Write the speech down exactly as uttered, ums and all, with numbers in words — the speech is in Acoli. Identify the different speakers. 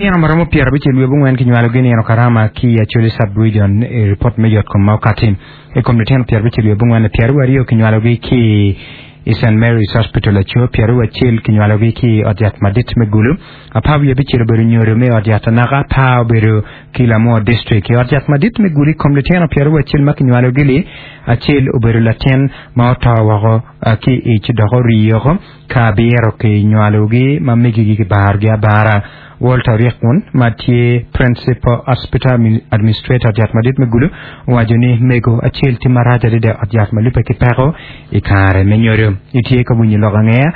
Speaker 1: Nino maromo pyera abicel wiye abongwen kinywalogi nino karama ki i Acholi Sub-Region i ripot me yotkom ma okati. I kom litino pyera abicel wiye abongwen pyeraryo aryo kinywalogi ki i St Mary's Hospital Aco, pyeraryo acel kinywalogi ki i ot yat madit me Gulu, apar wiye abicel obedo nyodo me ot yat Anaka, apar obedo ki Lamwo District. I ot yat madit me Gulu i kom litino pyeraryo acel ma kinywalogi-li, acel obedo latin ma oto woko ki i ic dok orii woko, ka abiro kinywalogi ma megigi kibarogi abara. Walter Ryekun ma tye Principal Hospital Administrator ot yat madit me Gulu owaco ni mego acel tye marac adada i ot yat ma lubbe ki peko i kare me nyodo. Itye ka winyo lok angeya?